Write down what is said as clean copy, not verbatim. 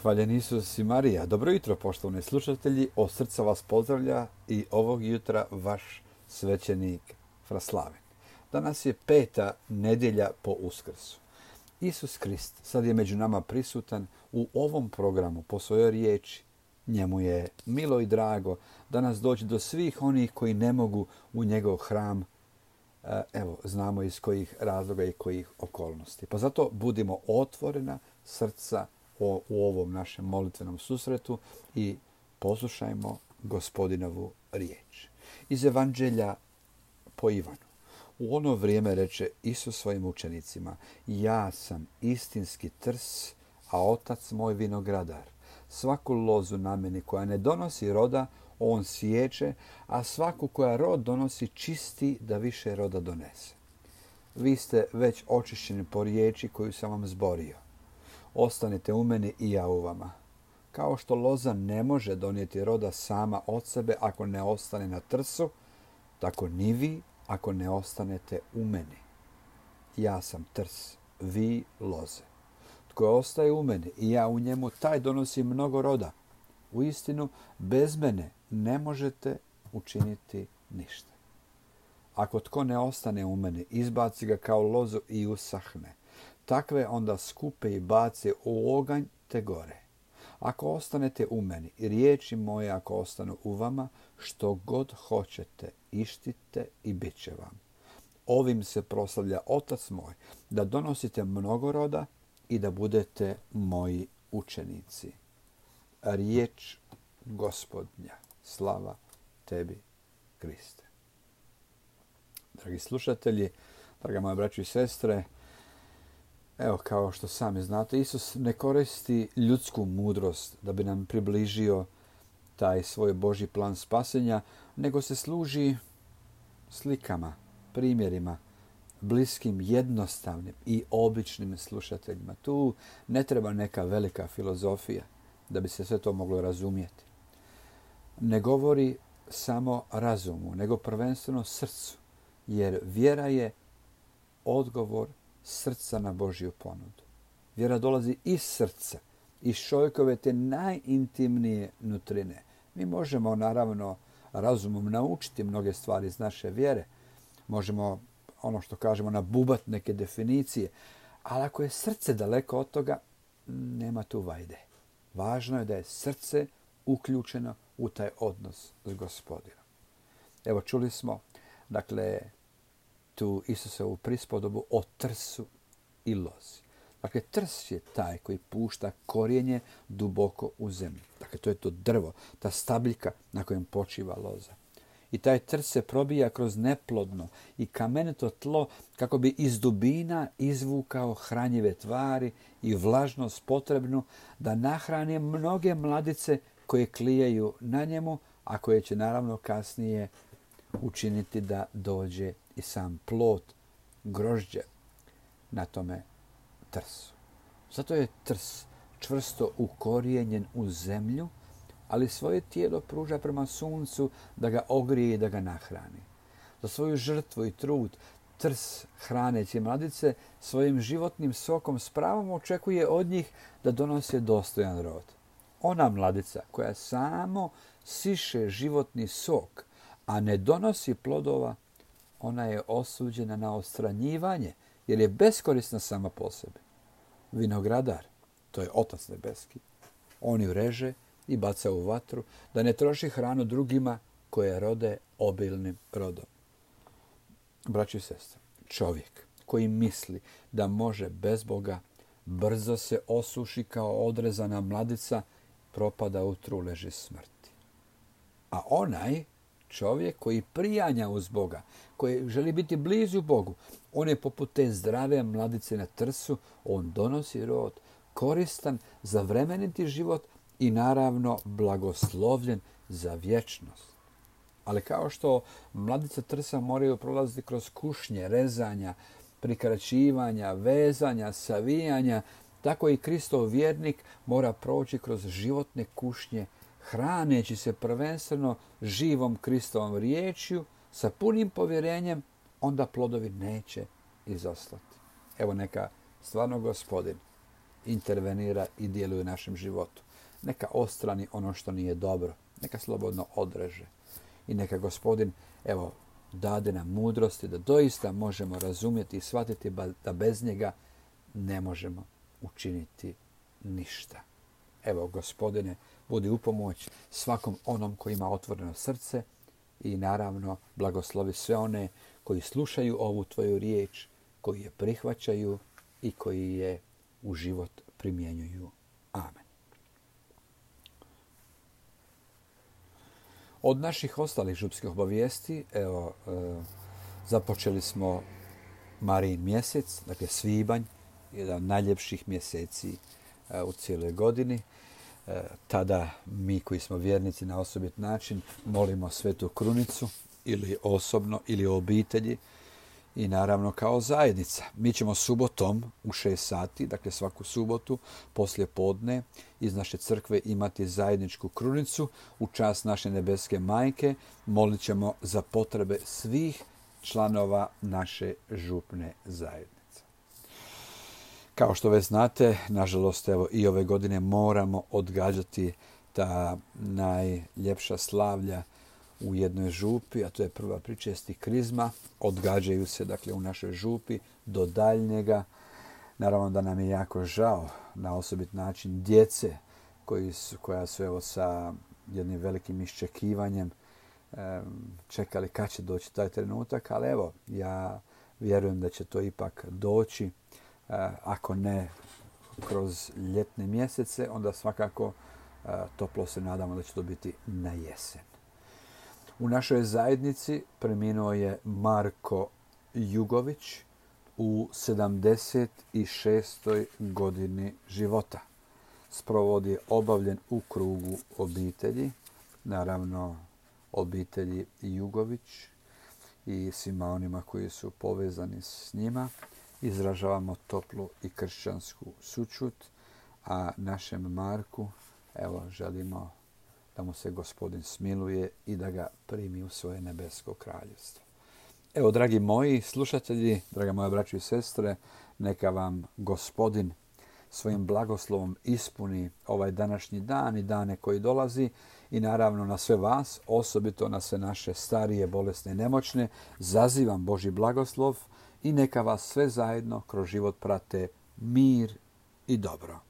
Hvaljen Isus i Marija. Dobro jutro, poštovani slušatelji. Od srca vas pozdravlja i ovog jutra vaš svećenik Fraslaven. Danas je 5. nedjelja po Uskrsu. Isus Krist sad je među nama prisutan u ovom programu po svojoj riječi. Njemu je milo i drago da nas dođe do svih onih koji ne mogu u njegov hram. Evo, znamo iz kojih razloga i kojih okolnosti. Pa zato budimo otvorena srca u ovom našem molitvenom susretu i poslušajmo Gospodinovu riječ. Iz Evanđelja po Ivanu. U ono vrijeme reče Isus svojim učenicima: ja sam istinski trs, a otac moj vinogradar. Svaku lozu na meni koja ne donosi roda, on siječe, a svaku koja rod donosi čisti da više roda donese. Vi ste već očišćeni po riječi koju sam vam zborio. Ostanite u meni i ja u vama. Kao što loza ne može donijeti roda sama od sebe ako ne ostane na trsu, tako ni vi ako ne ostanete u meni. Ja sam trs, vi loze. Tko ostaje u meni i ja u njemu, taj donosi mnogo roda. Uistinu, bez mene ne možete učiniti ništa. Ako tko ne ostane u meni, izbaci ga kao lozu i usahne. Takve onda skupe i bace u oganj te gore. Ako ostanete u meni i riječi moje ako ostanu u vama, što god hoćete, ištite i bit će vam. Ovim se proslavlja Otac moj, da donosite mnogo roda i da budete moji učenici. Riječ Gospodnja. Slava tebi, Kriste. Dragi slušatelji, draga moja braćo i sestre, evo, kao što sami znate, Isus ne koristi ljudsku mudrost da bi nam približio taj svoj Božji plan spasenja, nego se služi slikama, primjerima, bliskim, jednostavnim i običnim slušateljima. Tu ne treba neka velika filozofija da bi se sve to moglo razumjeti. Ne govori samo razumu, nego prvenstveno srcu, jer vjera je odgovor srca na Božju ponudu. Vjera dolazi iz srca, iz čovjekove te najintimnije nutrine. Mi možemo, naravno, razumom naučiti mnoge stvari iz naše vjere. Možemo, ono što kažemo, nabubati neke definicije. Ali ako je srce daleko od toga, nema tu vajde. Važno je da je srce uključeno u taj odnos s Gospodinom. Evo, čuli smo, dakle, tu Isusovu prispodobu o trsu i lozi. Dakle, trs je taj koji pušta korijenje duboko u zemlju. Dakle, to je to drvo, ta stabiljka na kojem počiva loza. I taj trs se probija kroz neplodno i kamenito tlo kako bi iz dubina izvukao hranjive tvari i vlažnost potrebnu da nahrani mnoge mladice koje klijaju na njemu, a koje će naravno kasnije učiniti da dođe i sam plod, grožđe na tome trsu. Zato je trs čvrsto ukorijenjen u zemlju, ali svoje tijelo pruža prema suncu da ga ogrije i da ga nahrani. Za svoju žrtvu i trud trs hraneći mladice svojim životnim sokom s pravom očekuje od njih da donose dostojan rod. Ona mladica koja samo siše životni sok, a ne donosi plodova, ona je osuđena na odstranjivanje, jer je beskorisna sama po sebi. Vinogradar, to je Otac nebeski, on ju reže i baca u vatru, da ne troši hranu drugima koje rode obilnim rodom. Braći i sestre, čovjek koji misli da može bez Boga, brzo se osuši kao odrezana mladica, propada u truleži smrti. A onaj čovjek koji prijanja uz Boga, koji želi biti blizu Bogu, on je poput te zdrave mladice na trsu, on donosi rod, koristan za vremeniti život i naravno blagoslovljen za vječnost. Ali kao što mladice trsa moraju prolaziti kroz kušnje, rezanja, prikraćivanja, vezanja, savijanja, tako i Kristov vjernik mora proći kroz životne kušnje, hraneći se prvenstveno živom Kristovom riječju, sa punim povjerenjem, onda plodovi neće izostati. Evo, neka stvarno Gospodin intervenira i djeluje u našem životu. Neka ostrani ono što nije dobro. Neka slobodno odreže. I neka Gospodin, dade nam mudrosti da doista možemo razumjeti i shvatiti da bez njega ne možemo učiniti ništa. Gospodine, budi u pomoć svakom onom koji ima otvoreno srce i naravno blagoslovi sve one koji slušaju ovu tvoju riječ, koji je prihvaćaju i koji je u život primjenjuju. Amen. Od naših ostalih župskih obavijesti, započeli smo Marijin mjesec, dakle svibanj, jedan od najljepših mjeseci u cijeloj godini. Tada mi koji smo vjernici na osobit način molimo Svetu Krunicu ili osobno ili u obitelji i naravno kao zajednica. Mi ćemo subotom u 6 sati, dakle svaku subotu poslije podne iz naše crkve imati zajedničku krunicu u čast naše nebeske majke. Molit ćemo za potrebe svih članova naše župne zajednice. Kao što već znate, nažalost, i ove godine moramo odgađati ta najljepša slavlja u jednoj župi, a to je prva pričesti krizma. Odgađaju se, dakle, u našoj župi do daljnjega. Naravno da nam je jako žao na osobit način djece koja su sa jednim velikim iščekivanjem čekali kad će doći taj trenutak, ali ja vjerujem da će to ipak doći. Ako ne kroz ljetne mjesece, onda svakako toplo se nadamo da će to biti na jesen. U našoj zajednici preminuo je Marko Jugović u 76. godini života. Sprovod je obavljen u krugu obitelji, naravno obitelji Jugović i svima onima koji su povezani s njima. Izražavamo toplu i kršćansku sućut, a našem Marku želimo da mu se Gospodin smiluje i da ga primi u svoje nebesko kraljevstvo. Dragi moji slušatelji, draga moja braćo i sestre, neka vam Gospodin svojim blagoslovom ispuni ovaj današnji dan i dane koji dolazi i naravno na sve vas, osobito na sve naše starije, bolesne i nemoćne, zazivam Božji blagoslov i neka vas sve zajedno kroz život prate mir i dobro.